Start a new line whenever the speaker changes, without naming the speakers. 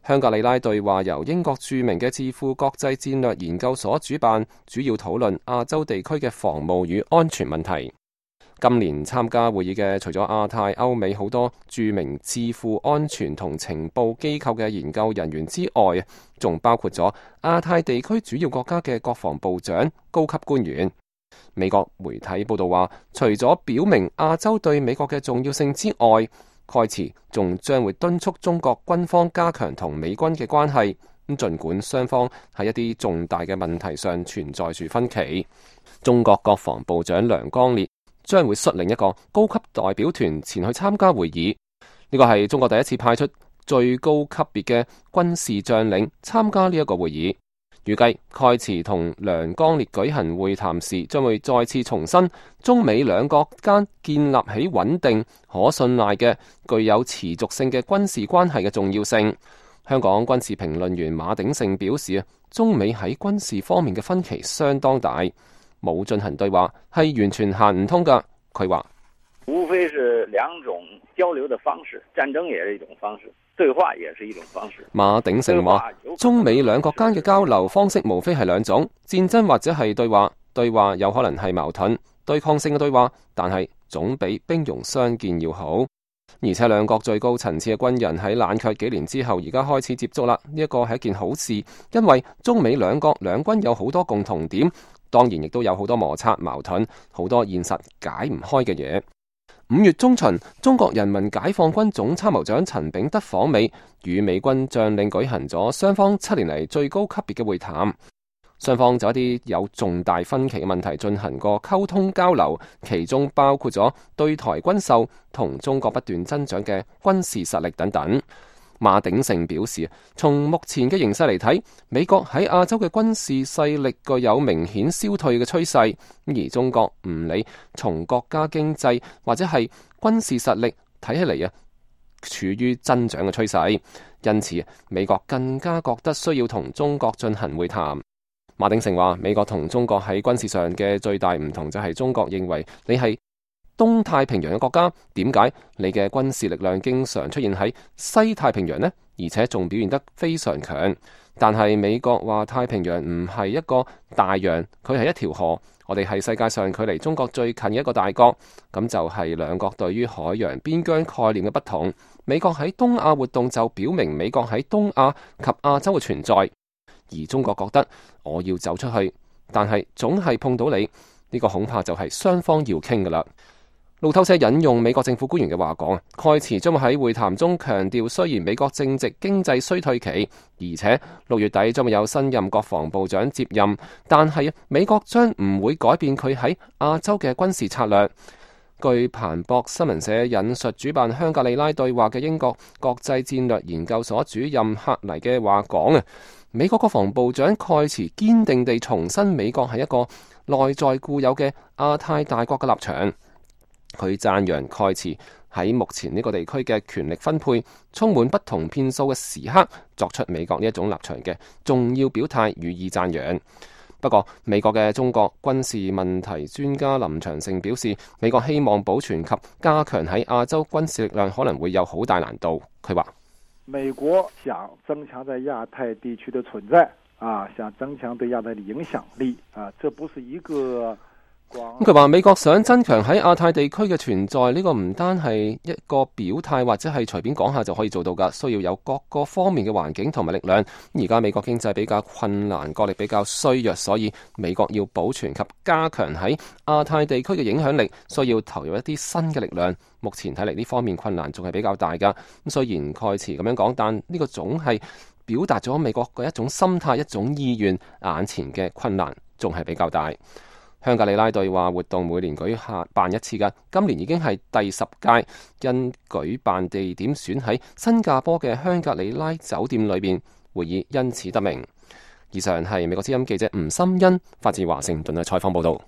香格里拉對話由英國著名嘅智庫國際戰略研究所主辦，主要討論亞洲地區嘅防務與安全問題。今年參加會議嘅除咗亞太、歐美好多著名智庫安全同情報機構嘅研究人員之外，仲包括咗亞太地區主要國家嘅國防部長、高級官員。美國媒體報道話，除咗表明亞洲對美國嘅重要性之外，蓋茨仲將會敦促中國軍方加強同美軍嘅關係。咁儘管雙方喺一啲重大嘅問題上存在住分歧，中國國防部長梁光烈將會率領一個高級代表團前去參加會議。呢個係中國第一次派出最高級別嘅軍事將領參加呢一個會議。預計蓋茨同梁光烈舉行會談時，將會再次重申中美兩國間建立起穩定、可信賴嘅、具有持續性嘅軍事關係嘅重要性。香港軍事評論員馬鼎盛表示，中美喺軍事方面嘅分歧相當大，冇進行對話係完全行唔通噶。佢話
無非是兩種交流的方式，戰爭也是一種方式，對話也是一種方式。
馬鼎盛話，中美兩國間嘅交流方式無非係兩種，戰爭或者係對話。對話有可能係矛盾、對抗性嘅對話，但係總比兵戎相見要好。而且兩國最高層次嘅軍人喺冷卻幾年之後，而家開始接觸啦。呢一個係一件好事，因為中美兩國兩軍有好多共同點，當然亦都有好多摩擦矛盾，好多現實解唔開嘅嘢。5月中旬，中國人民解放軍總參謀長陳炳德訪美，與美軍將領舉行咗雙方7年嚟最高級別嘅會談。雙方就一啲有重大分歧嘅問題進行過溝通交流，其中包括咗對台軍售同中國不斷增長嘅軍事實力等等。馬鼎盛表示，從目前嘅形勢嚟睇，美國喺亞洲嘅軍事勢力具有明顯消退嘅趨勢，而中國唔理從國家經濟或者係軍事實力睇起嚟處於增長嘅趨勢，因此美國更加覺得需要同中國進行會談。馬鼎盛話，美國同中國喺軍事上嘅最大唔同就係中國認為你係東太平洋嘅國家，點解你嘅軍事力量經常出現喺西太平洋呢？而且仲表現得非常強。但係美國話太平洋唔係一個大洋，佢係一條河，我哋係世界上距離中國最近嘅一個大國。咁就係兩國對於海洋邊疆概念嘅不同。美國喺東亞活動就表明美國喺東亞及亞洲嘅存在，而中國覺得我要走出去，但係總係碰到你，呢個恐怕就係雙方要傾噶啦。路透社引用美國政府官員嘅話講，蓋茨將會喺會談中強調，雖然美國正值經濟衰退期，而且6月底將會有新任國防部長接任，但係美國將唔會改變佢喺亞洲嘅軍事策略。據彭博新聞社引述主辦香格里拉對話嘅英國國際戰略研究所主任克尼嘅話講，美國國防部長蓋茨堅定地重申美國係一個內在固有嘅亞太大國嘅立場。佢讚揚蓋茨喺目前呢個地區嘅權力分配充滿不同變數嘅時刻，作出美國呢一種立場嘅重要表態，予以讚揚。不過，美國嘅中國軍事問題專家林長勝表示，美國希望保存及加強喺亞洲軍事力量可能會有好大難度。佢話：
美國想增強在亞太地區的存在，想增強對亞太的影響力，這不是一個。
咁佢話美國想增強喺亞太地區嘅存在，呢個唔單係一個表態或者係隨便講下就可以做到噶，需要有各個方面嘅環境同埋力量。而家美國經濟比較困難，國力比較衰弱，所以美國要保存及加強喺亞太地區嘅影響力，需要投入一啲新嘅力量。目前睇嚟呢方面困難仲係比較大噶。咁雖然蓋茨咁樣講，但呢個總係表達咗美國嘅一種心態、一種意願。眼前嘅困難仲係比較大。香格里拉對話活動每年舉辦一次㗎，今年已經係第10屆，因舉辦地點選喺新加坡嘅香格里拉酒店裏邊，會議因此得名。以上係美國之音記者吳心欣發自華盛頓嘅採訪報道。